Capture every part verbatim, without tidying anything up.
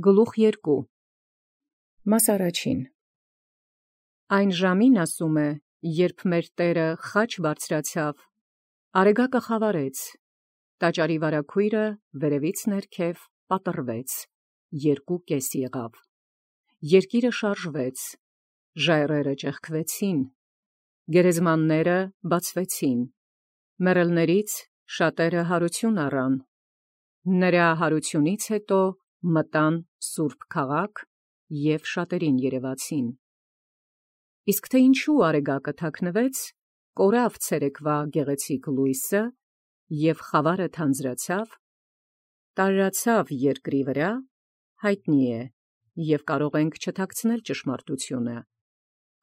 Գլուխ երկու Մաս առաջին Այն ժամին ասում է, երբ մեր Տէրը խաչ բարձրացավ, Արեգակը խավարեց, տաճարի վարագոյրը վերևից ներքև պատռվեց, երկու կես եղավ, երկիրը շարժվեց, ժայռերը ճեղքվեցին, գերեզմանները բացվեցին, մեռելներից շատերը հարություն առան, նրա հարությունից հետո մտան սուրբ քաղաք և շատերին երևացին։ Իսկ թե ինչու Արեգակը թաքնվեց, կորավ ցերեկվա գեղեցիկ լույսը, և խավարը թանձրացավ, տարրացավ երկրի վրա, հայտնի է, և կարող ենք չթաքցնել ճշմարտությունը,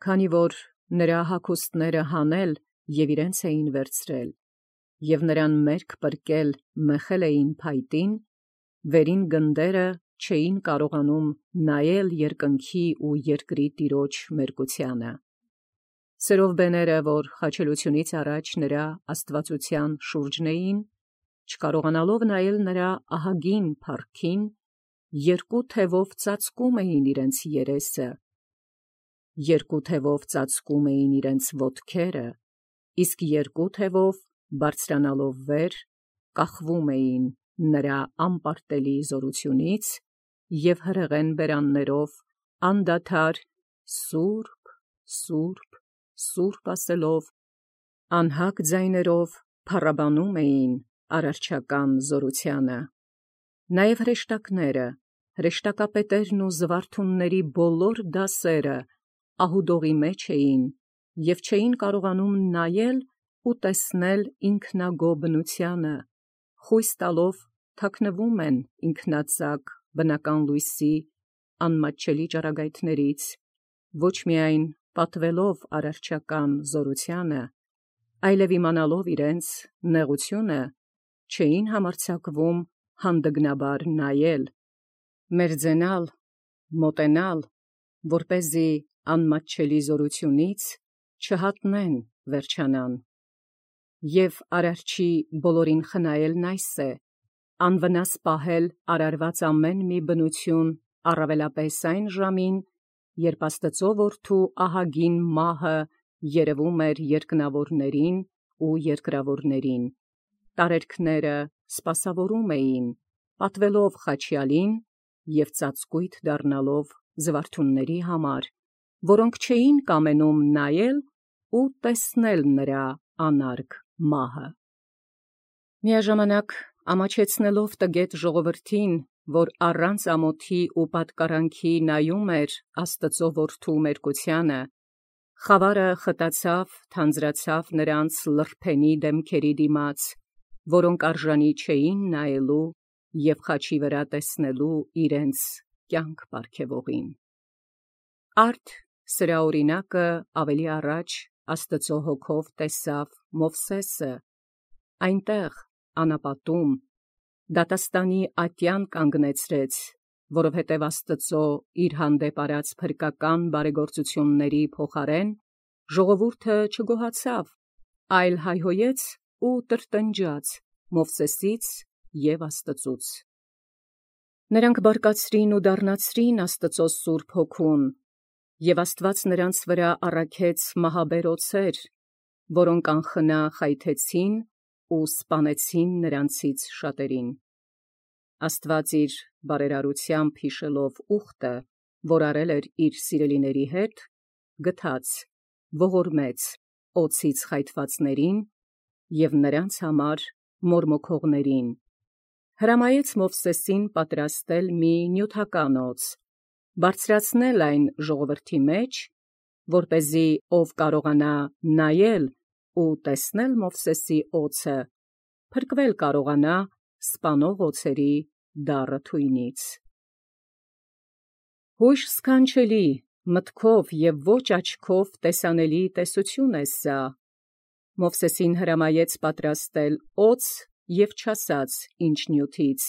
քանի որ նրա հագուստները հանել և իրենց էին վերցրել, և նրան մերկ պրկել մեխել էին փայտին, վերին գնդերը չէին կարողանում նայել երկնքի ու երկրի Տիրոջ մերկությանը։ Սերովբեները, որ խաչելությունից առաջ նրա աստվածության շուրջն էին, չկարողանալով նայել նրա ահագին փառքին, երկու թևով ծածկում էին իրենց երեսը, երկու թևով ծածկում էին իրենց ոտքերը, իսկ երկու թևով բարձրանալով վեր, կախվում էին նրա անպարտելի զորությունից և հրեղեն բերաններով անդադար «Սուրբ, Սուրբ, Սուրբ» ասելով, անհագ ձայներով փառաբանում էին արարչական զորությանը։ Նաև հրեշտակները, հրեշտակապետերն ու զվարթունների բոլոր դասերը ահուդողի մեջ էին և չէին կարողանում նայել ու տեսնել ինքնագոհ բնությանը, խույս տալով թաքնվում են ինքնածակ բնական լույսի անմատչելի ճառագայթներից, ոչ միայն պատվելով արարչական զորությանը, այլև իմանալով իրենց նեղությունը, չէին համարձակվում հանդգնաբար նայել, մերձենալ, մոտենալ, որպեսզի անմատչելի զորությունից չհատնեն վերջանան։ Եվ արարչի բոլորին խնայելն այս է, անվնաս պահել արարված ամեն մի բնություն առավելապես այն ժամին, երբ Աստծու որդու ահագին մահը երևում էր երկնավորներին ու երկրավորներին, տարերքները սպասավորում էին, պատվելով խաչյալին և ծածկույթ դառնալով զվարթունների համար, որոնք չէին կամենում նայել ու տեսնել նրա անարգ մահը։ Միաժամանակ ամաչեցնելով տգետ ժողովրդին, որ առանց ամոթի ու պատկառանքի նայում էր Աստծու որդու մերկությանը, խավարը խտացավ, թանձրացավ նրանց լրբենի դեմքերի դիմաց, որոնք արժանի չէին նայելու և խաչի վրա տեսնելու իրենց կյանք պարգևողին։ Արդ սրա օրինակը ավելի առաջ Աստծու հոգով տեսավ Մովսէսը, այնտեղ անապատում, դատաստանի ատյան կանգնեցրեց, որովհետև Աստծու իր հանդեպ արած փրկական բարեգործությունների փոխարեն ժողովուրդը չգոհացավ, այլ հայհոյեց ու տրտնջաց Մովսէսից և Աստծուց։ Նրանք բարկացրին ու դառնացրին Աստծու սուրբ հոգուն, և Աստված նրանց վրա առաքեց մահաբեր օձեր, որոնք անխնա խայթեցին ու սպանեցին նրանցից շատերին։ Աստված իր բարերարությամբ յիշելով ուխտը, որ արել էր իր սիրելիների հետ, գթաց, ողորմեց օձից խայթվածներին և նրանց համար մորմոքողներին, հրամայեց Մովսէսին պատրաստել մի նյութական օձ, բարձրացնել այն ժողովրդի մեջ, որպեսզի ով կարողանա նայել ու տեսնել Մովսէսի օձը, փրկվել կարողանա սպանող օձերի դառը թույնից։ Հույժ սքանչելի, մտքով և ոչ աչքով տեսանելի տեսություն է սա։ Մովսէսին հրամայեց պատրաստել օձ և չասաց ինչ նյութից,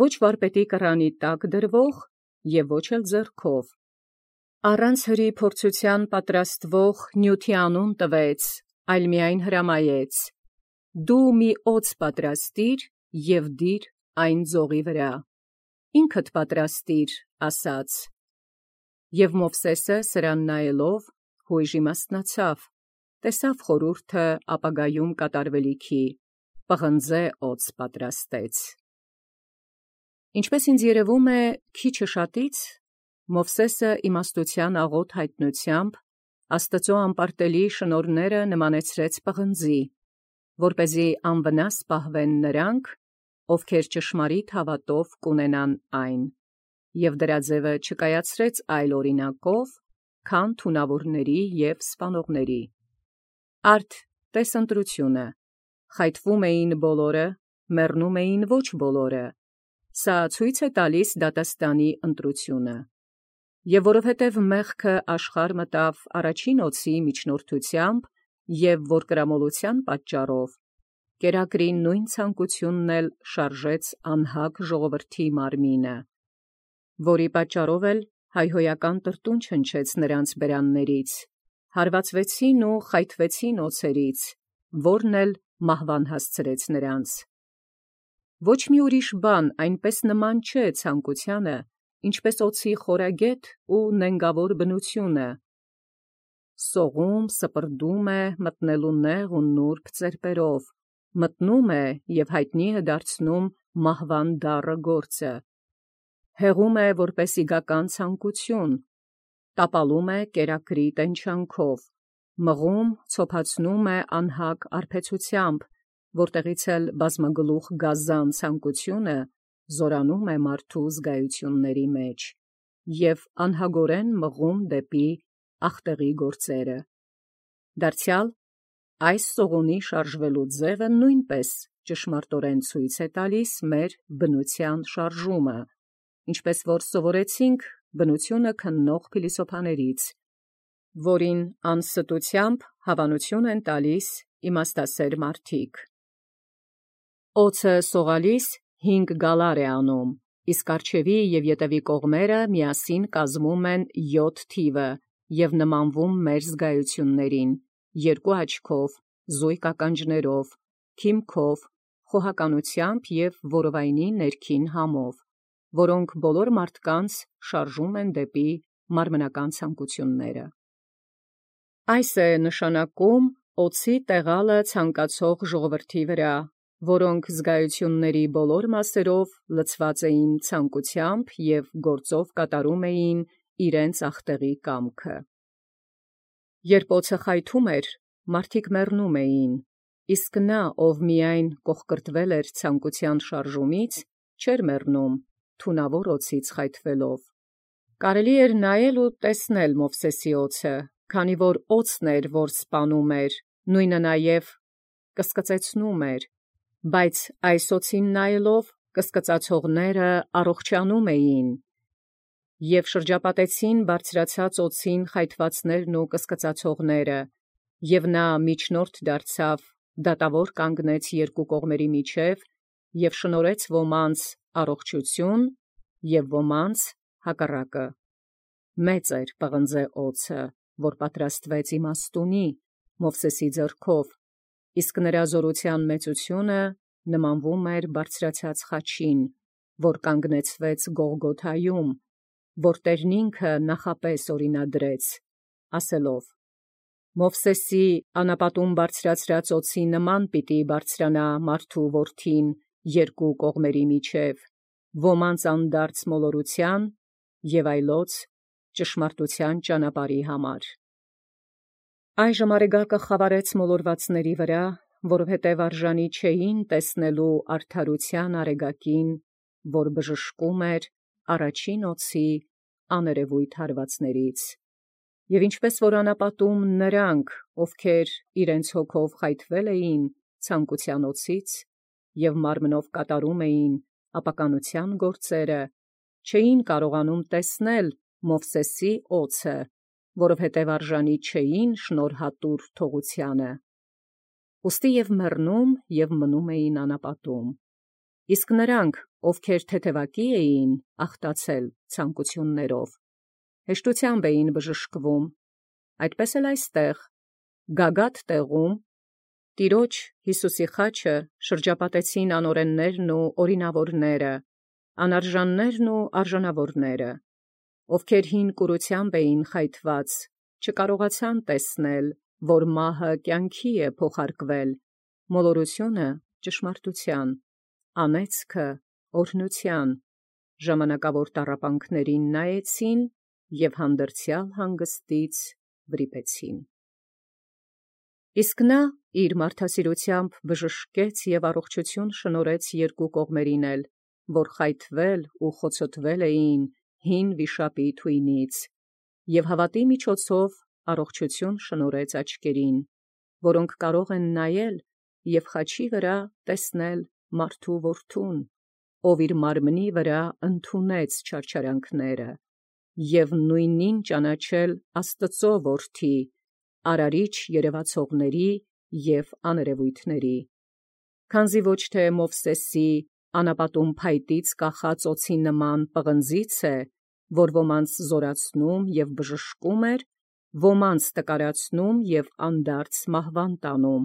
ոչ վարպետի կռանի տակ դրվող և ոչ էլ ձեռքով, առանց հրի փորձութեան պատրաստվող նյութի անուն տվեց, այլ միայն հրամայեց. «Դու մի օձ պատրաստիր և դիր այն ձողի վրա»։ ինքդ պատրաստիր, ասաց։ Եվ Մովսէսը սրան նայելով յոյժ իմաստնացավ, տեսավ խորհուրդը ապագայում կատարվելիքի, պղնձե օձ պատրաստեց։ Ինչպես ինձ երևում է, քիչը շատից Մովսէսը իմաստության աղոտ հայտնությամբ Աստծո անպարտելի շնորհները նմանեցրեց պղնձի, որպեսզի անվնաս պահվեն նրանք, ովքեր ճշմարիտ հավատով կունենան այն, և դրա ձևը չկայացրեց այլ օրինակով, քան թունավորների և սպանողների։ Արդ տես ընտրությունը, խայթվում էին բոլորը, մեռնում էին ոչ բոլորը, սա ցույց է տալիս դատաստանի ընտրությունը։ Եվ որովհետև մեղքը աշխարհ մտավ առաջին օձի միջնորդությամբ, և որ կրամոլության պատճառով, կերակրի նույն ցանկությունն էլ շարժեց անհագ ժողովրդի մարմինը, որի պատճառով էլ հայհոյական տրտուն չնչեց նրանց բերաններից, հարվածվեցին ու խայթվեցին օձերից, որն էլ մահվան հասցրեց նրանց։ Ոչ մի ուրիշ բան այնպես նման չէ ցանկությանը, ինչպես օձի խորագետ ու նենգավոր բնությունը, սողում, սպրդում է մտնելու նեղ ու նուրբ ծերպերով, մտնում է և հայտնի է դարձնում մահվան դառը գործը, հեղում է որպես իգական ցանկություն, տապալում է կերակրի տենչանքով, մղում, ցոփացնում է անհագ արբեցությամբ, որտեղից էլ բազմագլուխ գազան ցանկությունը զորանում է մարդու զգայությունների մեջ, և անհագորեն մղում դեպի ախտեղի գործերը։ Դարձյալ այս սողունի շարժվելու ձևը նույնպես ճշմարտորեն ցույց է տալիս մեր բնության շարժումը, ինչպես որ սովորեցինք բնությունը քննող փիլիսոփաներից, որին անստությամբ հավանություն են տալիս իմաստասեր մարդիկ։ Օձը սողալիս հինգ գալար է անում, իսկ առջևի և ետևի կողմերը միասին կազմում են յոթ թիվը և նմանվում մեր զգայություններին, երկու աչքով, զույգ ականջներով, քիմքով, խոհականությամբ և որովայնի ներքին համով, որոնք բոլոր մարդկանց շարժում են դեպի մարմնական ցանկությունները։ Այս է նշանակում օձի տեղալը ցանկացող ժողովրդի վրա, որոնք զգայությունների բոլոր մասերով լցված էին ցանկությամբ և գործով կատարում էին իրենց ախտեղի կամքը։ Երբ օձը խայթում էր, մարդիկ մեռնում էին, իսկ նա, ով միայն կոխկրտվել էր ցանկության շարժումից, չէր մեռնում, թունավոր օձից խայթվելով։ Կարելի էր նայել ու տեսնել Մովսէսի օձը, քանի որ օձն էր, որ սպանում էր, նույնը նաև կսկծեցնում էր, բայց այս օձին նայելով կսկծացողները առողջանում էին, և շրջապատեցին բարձրացած օձին խայթվածներն ու կսկծացողները, և նա միջնորդ դարձավ, դատավոր կանգնեց երկու կողմերի միջև և շնորհեց ոմանց առողջություն և ոմանց հակառակը։ Մեծ էր պղնձե օձը, որ պատրաստվեց իմաստունի Մովսէսի ձեռքով, իսկ նրա զորության մեծությունը նմանվում էր բարձրացած խաչին, որ կանգնեցվեց Գողգոթայում, որ Տերն ինքը նախապես օրինադրեց, ասելով. «Մովսէսի անապատում բարձրացրած օձի նման պիտի բարձրանա մարդու որդին երկու կողմերի միջև, ոմանց անդարձ մոլորության և այլոց ճշմարտության ճանապարհի համար»։ Այժմ Արեգակը խավարեց մոլորվածների վրա, որովհետև արժանի չէին տեսնելու արդարության Արեգակին, որ բժշկում էր առաջին օձի աներևույթ հարվածներից։ Եվ ինչպես որ անապատում նրանք, ովքեր իրենց հոգով խայթվել էին ցանկության օձից և մարմնով կատարում էին ապականության գործերը, չէին կարողանում տեսնել Մովսէսի օձը, որովհետև արժանի չէին շնորհատուր թողությանը։ Ուստի և մեռնում և մնում էին անապատում։ Իսկ նրանք, ովքեր թեթևակի էին ախտացել ցանկություններով, հեշտությամբ էին բժշկվում, այդպես էլ այստեղ, գագաթ տեղում, Տիրոջ Յիսուսի խաչը շրջապատեցին անօրեններն ու օրինավորները, անարժաններն ու արժանավորները, ովքեր հին կուրությամբ էին խայթված, չկարողացան տեսնել, որ մահը կյանքի է փոխարկվել, մոլորությունը ճշմարտության, անեծքը օրհնության, ժամանակավոր տառապանքներին նայեցին և հանդերձյալ հանգստից վրիպեցին։ Իսկ նա իր մարդասիրությամբ բժշկեց և առողջություն շնորհեց երկու կողմերին էլ, որ խայթվել ու խոցոտվել էին հին վիշապի թույնից, և հավատի միջոցով առողջություն շնորհեց աչքերին, որոնք կարող են նայել և խաչի վրա տեսնել մարդու որդուն, ով իր մարմնի վրա ընդունեց չարչարանքները, և նույնին ճանաչել Աստուծո որդի, արարիչ երևացողների և աներևույթների, քանզի ոչ թե Մովսէսի անապատում փայտից կախած օձի նման պղնձից է, որ ոմանց զորացնում և բժշկում էր, ոմանց տկարացնում և անդարձ մահվան տանում,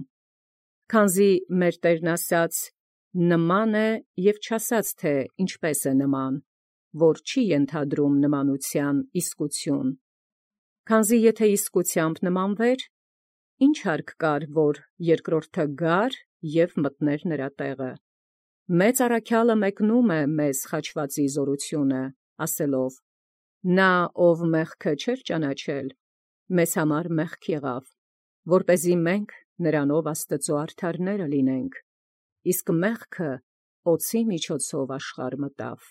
քանզի մեր Տերն ասաց. «Նման է և չասաց, թե ինչպես է նման, որ չի ենթադրում նմանութեան իսկություն, քանզի եթե իսկությամբ նմանվեր, ի՞նչ հարկ կար, որ երկրորդը գար և մտներ նրա տեղը։ Մեծ առաքյալը մեկնում է մեզ խաչվածի զորությունը, ասելով. նա, ով մեղքը չէր ճանաչել, մեզ համար մեղք եղավ, որպեսզի մենք նրանով Աստուծո արդարները լինենք, իսկ մեղքը օձի միջոցով աշխարհ մտավ։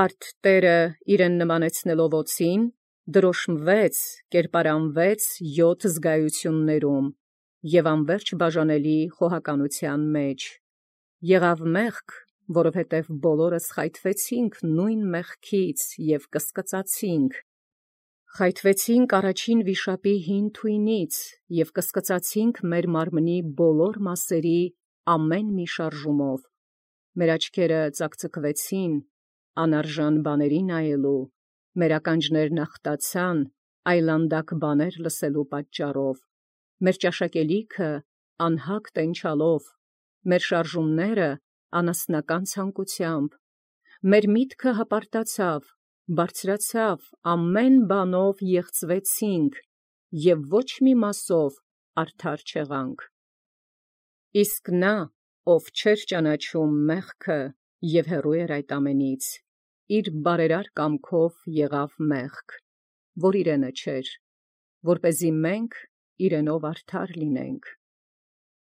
Արդ Տէրը իրեն նմանեցնելով օձին, դրոշմվեց, կերպարանվեց յոթ զգայություններում և անվերջ բաժանելի խոհականութեան մեջ, եղավ մեղք, որովհետև բոլորս խայթվեցինք նույն մեղքից և կսկծացինք, խայթվեցինք առաջին վիշապի հին թույնից և կսկծացինք մեր մարմնի բոլոր մասսերի ամեն մի շարժումով, մեր աչքերը ծակծկվեցին, անարժան բաների նայելու, մեր ականջներն ախտացան այլանդակ բաներ լսելու պատճառով, մեր ճաշակելիքը անհագ տենչալով, մեր շարժումները անասնական ցանկությամբ, մեր միտքը հպարտացավ, բարձրացավ, ամեն բանով եղծվեցինք և ոչ մի մասով արդար չեղանք։ Իսկ նա, ով չէր ճանաչում մեղքը և հեռու էր այդ ամենից, իր բարերար կամքով եղավ մեղք, որ իրենը չէր, որպեսզի մենք իրենով արդար լինենք։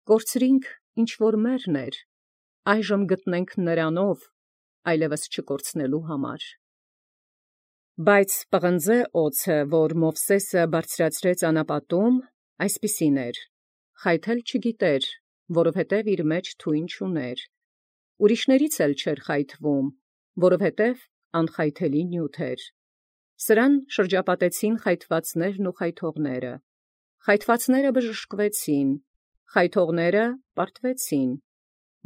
Կորցրինք, ինչ որ մերն էր, այժմ գտնենք նրանով, այլևս չկորցնելու համար։ Բայց պղնձե օձը, որ Մովսէսը բարձրացրեց անապատում, այսպիսին էր. խայթել չգիտեր, որովհետև իր մեջ թույն չուներ, ուրիշներից էլ չէր խայթվում, որովհետև անխայթելի նյութ էր, սրան շրջապատեցին խայթվածներն ու խայթողները, խայթվածները բժշկվեցին, խայթողները պարտվեցին,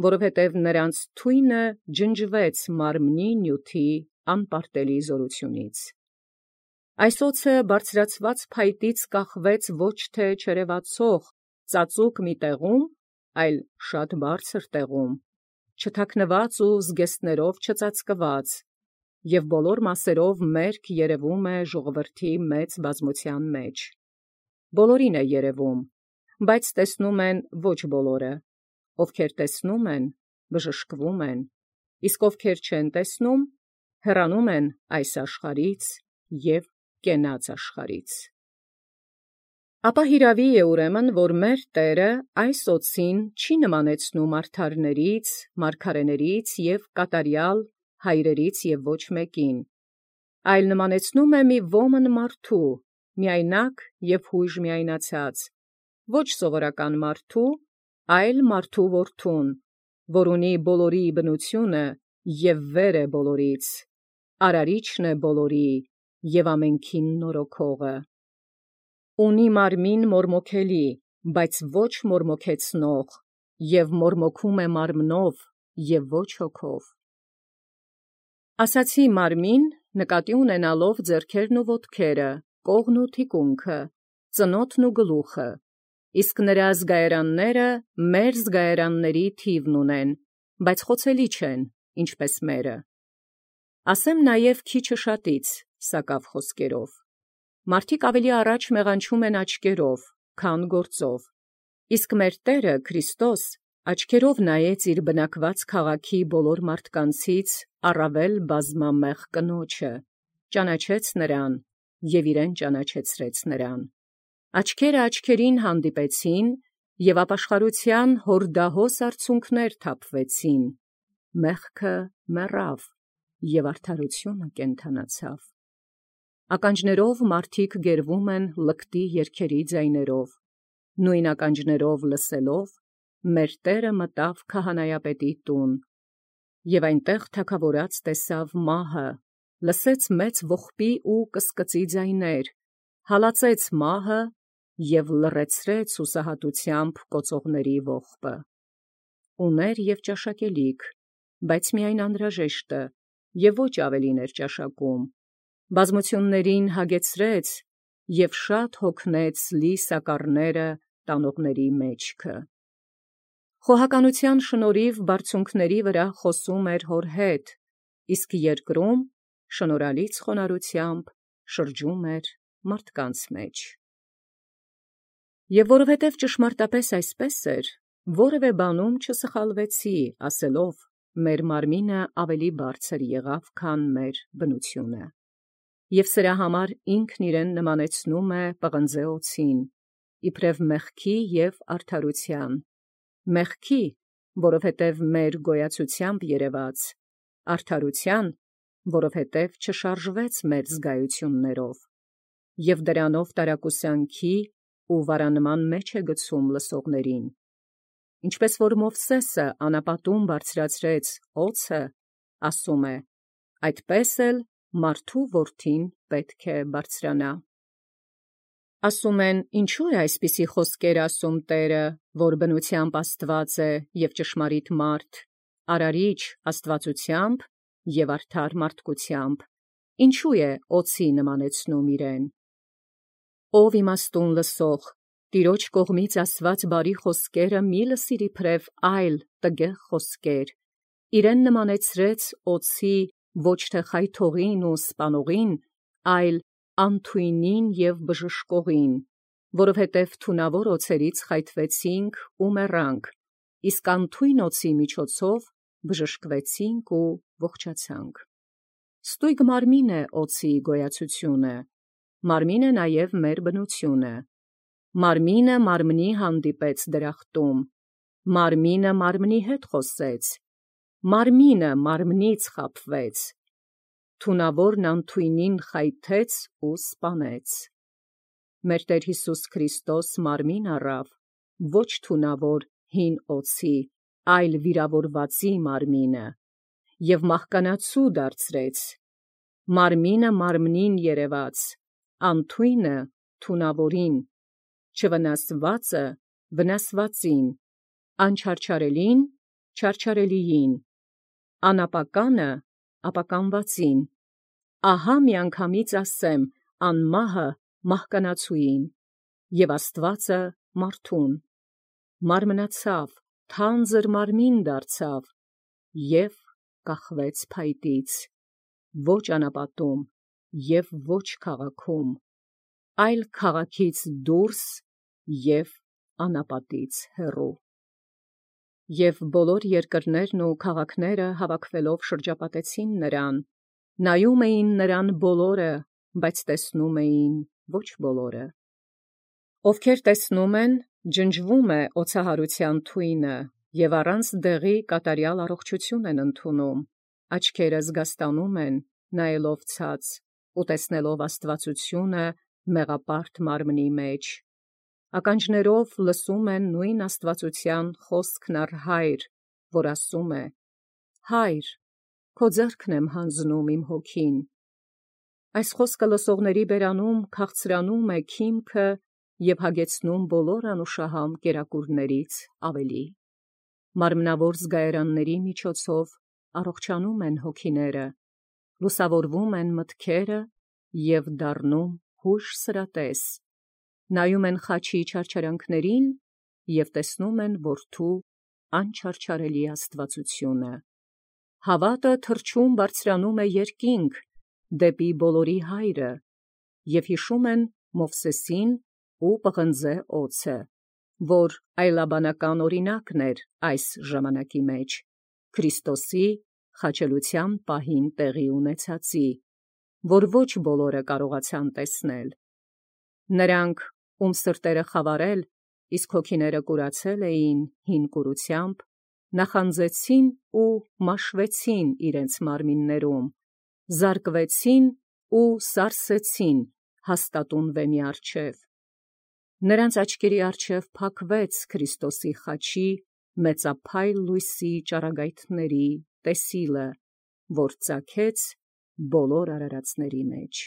որովհետև նրանց թույնը ջնջվեց մարմնի նյութի անպարտելի զորությունից։ Այս օձը բարձրացված փայտից կախվեց ոչ թե չերևացող ծածուկ մի տեղում, այլ շատ բարձր տեղում, չթաքնված ու զգեստներով չծածկված, և բոլոր մասերով մերկ երևում է ժողովրդի մեծ բազմության մեջ։ Բոլորին է երևում, բայց տեսնում են ոչ բոլորը, ովքեր տեսնում են, բժշկվում են, իսկ ովքեր չեն տեսնում, հեռանում են այս աշխարհից և կենաց աշխարհից։ Ապա հիրավի է ուրեմն, որ մեր Տէրը այս օձին չի նմանեցնում արդարներից, մարգարեներից և կատարյալ հայրերից և ոչ մեկին, այլ նմանեցնում է մի ոմն մարդու, միայնակ և յույժ միայնացած, ոչ սովորական մարդու, այլ մարդու որդուն, որ ունի բոլորի բնությունը և վեր է բոլորից, արարիչն է բոլորի և ամենքին նորոգողը։ Ունի մարմին մորմոքելի, բայց ոչ մորմոքեցնող, և մորմոքում է մարմնով և ոչ հոգով։ Ասացի մարմին, նկատի ունենալով ձեռքերն ու ոտքերը, կողն ու թիկունքը, ծնոտն ու գլուխը, իսկ նրա զգայարանները մեր զգայարանների թիվն ունեն, բայց խոցելի չեն, ինչպես մերը։ Ասեմ նաև քիչը շատից, սակավ խոսքերով։ Մարդիկ ավելի առաջ մեղանչում են աչքերով, քան գործով, իսկ մեր Տերը Քրիստոս աչքերով նայեց իր բնակված քաղաքի բոլոր մարդկանցից առավել բազմամեղ կնոջը, ճանաչեց նրան և իրեն ճանաչեցրեց նրան։ Աչքերը աչքերին հանդիպեցին, և ապաշխարության հորդահոս արցունքներ թափվեցին, մեղքը մեռավ, և արդարությունը կենդանացավ։ Ականջներով մարդիկ գերվում են լկտի երգերի ձայներով, նույն ականջներով լսելով մեր Տերը մտավ քահանայապետի տուն, և այնտեղ թագավորած տեսավ մահը, լսեց մեծ ողբի ու կսկծի ձայներ, հալածեց մահը և լռեցրեց հուսահատությամբ կոծողների ողբը։ Ուներ և ճաշակելիք, բայց միայն անհրաժեշտը, և ոչ ավելին էր ճաշակում, բազմություններին հագեցրեց և շատ հոգնեց լի սակառները տանողների մեջքը։ Խոհականության շնորհիվ բարձունքների վրա խոսում էր հոր հետ, իսկ երկրում շնորհալից խոնարհությամբ շրջում էր մարդկանց մեջ։ Եվ որովհետև ճշմարտապես այսպես էր, որևէ բանում չսխալվեցի, ասելով. «Մեր մարմինը ավելի բարձր եղավ, քան մեր բնությունը»։ Եվ սրա համար ինքն իրեն նմանեցնում է պղնձե օձին, իբրև մեղքի և արդարության, մեղքի, որովհետև մեր գոյացությամբ երևաց, արդարության, որովհետև չշարժվեց մեր զգայություններով, և դրանով տարակուսանքի ու վարանման մեջ է գցում լսողներին։ Ինչպես որ Մովսէսը անապատում բարձրացրեց օձը, ասում է. այդպես էլ մարդու որդին պետք է բարձրանա։ Ասում են. ինչու է այսպիսի խոսքեր ասում Տերը, որ բնությամբ Աստված է և ճշմարիտ մարդ, արարիչ աստվածությամբ և արդար մարդկությամբ, ինչու է օձի նմանեցնում իրեն։ Ով իմաստուն լսող, Տիրոջ կողմից ասված բարի խոսքերը մի լսիր իբրև այլ տգեղ խոսքեր, իրեն նմանեցրեց օձի ոչ թե խայթողին ու սպանողին, այլ անթույնին և բժշկողին, որովհետև թունավոր օձերից խայթվեցինք ու մեռանք, իսկ անթույն օձի միջոցով բժշկվեցինք ու ողջացանք։ Ստույգ մարմին է օձի գոյացությունը, մարմին է նաև մեր բնությունը։ Մարմինը մարմնի հանդիպեց դրախտում, մարմինը մարմնի հետ խոսեց, մարմինը մարմնից խաբվեց, թունավորն անթույնին խայթեց ու սպանեց։ Մեր Տեր Հիսուս Քրիստոս մարմին առավ, ոչ թունավոր հին օձի, այլ վիրավորվածի մարմինը, և մահկանացու դարձրեց, մարմինը մարմնին երևաց, անթույնը թունավորին, չվնասվածը վնասվածին, անչարչարելին չարչարելիին, անապականը ապականվածին։ Ահա միանգամից ասեմ անմահը մահկանացուին, և Աստվածը մարդուն, մարմնացավ, թանձր մարմին դարձավ և կախվեց փայտից, ոչ անապատում և ոչ քաղաքում, այլ քաղաքից դուրս և անապատից հեռու։ Եվ բոլոր երկրներն ու քաղաքները հավաքվելով շրջապատեցին նրան, նայում էին նրան բոլորը, բայց տեսնում էին ոչ բոլորը։ Ովքեր տեսնում են, ջնջվում է օձահարության թույնը, և առանց դեղի կատարյալ առողջություն են ընդունում, աչքերը զգաստանում են, նայելով ցած, ու տեսնելով աստվածությունը մեղապարտ մարմնի մեջ, ականջներով լսում են նույն աստվածության խոսքն առ Հայր, որ ասում է. «Հայր, քո ձեռքն եմ հանձնում իմ հոգին»։ Այս խոսքը լսողների բերանում քաղցրանում է քիմքը և հագեցնում բոլոր անուշահամ կերակուրներից ավելի։ Մարմնավոր զգայարանների միջոցով առողջանում են հոգիները, լուսավորվում են մտքերը և դառնում հուշ սրատես, նայում են խաչի չարչարանքներին և տեսնում են որդու անչարչարելի աստվածությունը։ Հավատը թրջուն բարձրանում է երկինք, դեպի բոլորի հայրը, և հիշում են Մովսեսին ու պղնձե օձը, որ այլաբանական օրինակն էր այս ժամանակի մեջ, Քրիստոսի խաչելության պահին տեղի ունեցածի, որ ոչ բոլորը կարողացան տեսնել։ Նրանք, ում սրտերը խավարել, իսկ հոգիները կուրացել էին հին կուրությամբ, նախանձեցին ու մաշվեցին իրենց մարմիններում, զարկվեցին ու սարսեցին հաստատուն վեմի առջև։ Նրանց աչքերի առջև փակվեց Քրիստոսի խաչի մեծափայլ լույսի ճառագայթների տեսիլը, որ ծագեց բոլոր արարածների մեջ։